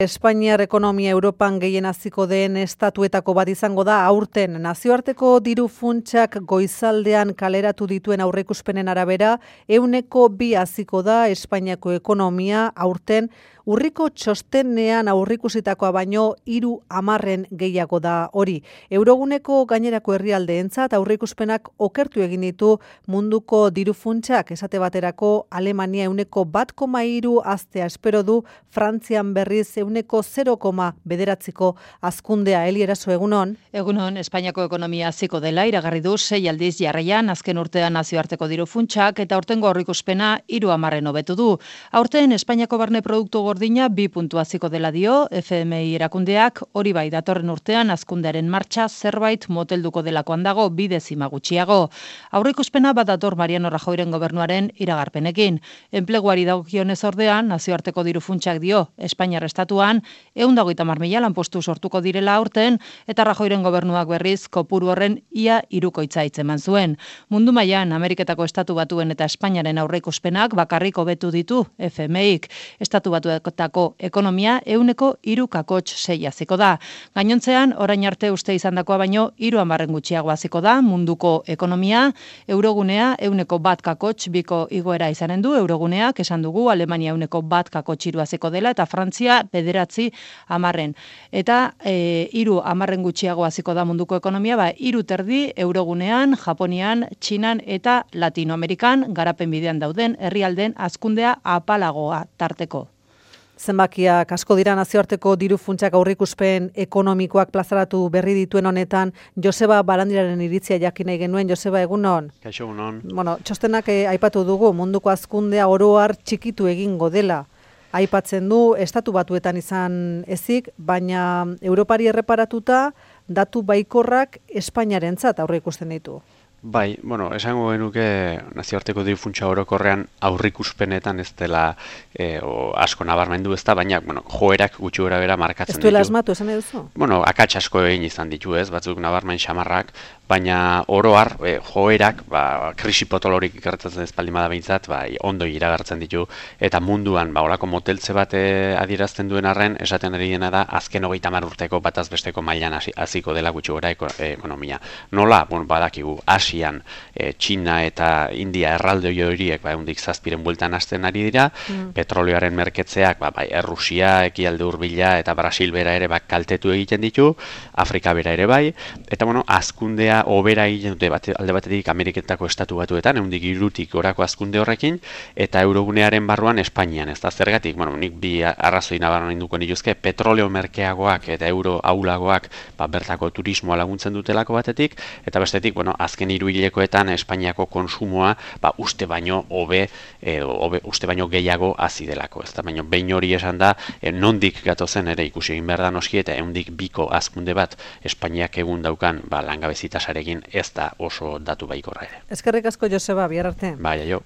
Espainiar ekonomia Europan gehien haziko den estatuetako bat izango da aurten. Nazioarteko diru funtsak goizaldean kaleratu dituen aurreikuspenen arabera, 2% haziko da Espainiako ekonomia aurten. Urriko txostenean aurreikusitakoa baino 30% gehiago da hori. Euroguneko gainerako herrialdeentzat aurreikuspenak okertu egin ditu munduko diru funtsak, esate baterako Alemania 1,3 haztea espero du, Frantzian berriz 0,9 hazkundea. Eli Eraso, egunon. Egunon, Espainiako ekonomia haziko dela iragarri du 6 aldiz jarraian azken urtean nazioarteko diru funtsak eta aurtengo aurreikuspena 30% hobetu du. Aurten Espainiako barne produktu gordina 2 puntu haziko dela dio FMI erakundeak, hori bai datorren urtean hazkundearen martxa zerbait motelduko delakoan dago 2 dezima gutxiago. Aurreikuspena bat dator Mariano Rajoyren gobernuaren iragarpenekin. Enpleguari dagokionez ordean, nazioarteko diru funtsak dio Espainiar estatuan 130.000 lanpostu sortuko direla aurten eta Rajoyren gobernuak berriz kopuru horren ia 3 hitzeman zuen. Mundu mailan Ameriketako estatu batuen eta Espainiaren aurreikuspenak bakarrik hobetu ditu FMIk. Estatu batuetako ekonomia 3,6 haziko da. Gainontzean, orain arte uste izandakoa baino 30% gutxiago haziko da munduko ekonomia. Eurogunea 1,1 igoera izanen du. Euroguneak esan dugu Alemania 1,1 haziko dela eta Frantzia 9,10. Eta 3% gutxiago haziko da munduko ekonomia, 3,3 Eurogunean, Japonian, Txinan eta Latinoamerikan garapen bidean dauden herrialdeen hazkundea apalagoa tarteko. Zenbakiak asko dira nazioarteko diru funtsak aurreikuspen ekonomikoak plazaratu berri dituen honetan. Joseba Barandiraren iritzia jakin nahi genuen. Joseba, egunon. Kaixo, egunon. Txostenak aipatu dugu munduko hazkundea oro har txikitu egingo dela. Aipatzen du estatu batuetan izan ezik, baina Europari erreparatuta datu baikorrak Espainiarentzat aurreikusten ditu. Bai, esango genuke nazioarteko diru funtsa orokorrean aurreikuspenetan ez dela asko nabarmendu ez da, baina joerak gutxi gorabehera markatzen ditu. Ez duela asmatu, esan duzu? Akats asko egin izan ditu ez, batzuk nabarmen xamarrak, baina oro har joerak, krisi potolorik ikertatzen ez baldin bada behintzat, ondo iragartzen ditu, eta munduan olako moteltze bat adierazten duen arren, esaten ari dena da, azken 30 urteko bataz besteko mailan hasiko dela gutxi gora ekonomia. Nola, badakigu, Asian, Txina eta India erralde horiek ehundik 7 bueltan hasten ari dira, petrolioaren merketzeak Errusia, Ekialde Hurbila eta Brasil bera ere kaltetu egiten ditu, Afrika bera ere bai, eta hazkundea hobera egiten dute alde batetik Ameriketako estatu batuetan, ehundik 3 gorako hazkunde horrekin, eta Eurogunearen barruan Espainian, ez da zergatik, nik bi arrazoi nabarmenduko nituzke, petroleo merkeagoak eta euro ahulagoak bertako turismoa laguntzen dutelako batetik, eta bestetik, azken 3 hilekoetan Espainiako konsumoa uste baino uste baino gehiago hazi delako, ez da, baino behin hori esan da, nondik gatozen ere ikusi egin behar da noski, eta 102 hazkunde bat Espainiak egun daukan langabezi tasarekin ez da oso datu baikorra ere. Eskerrik asko, Joseba, bihar arte. Bai, aio.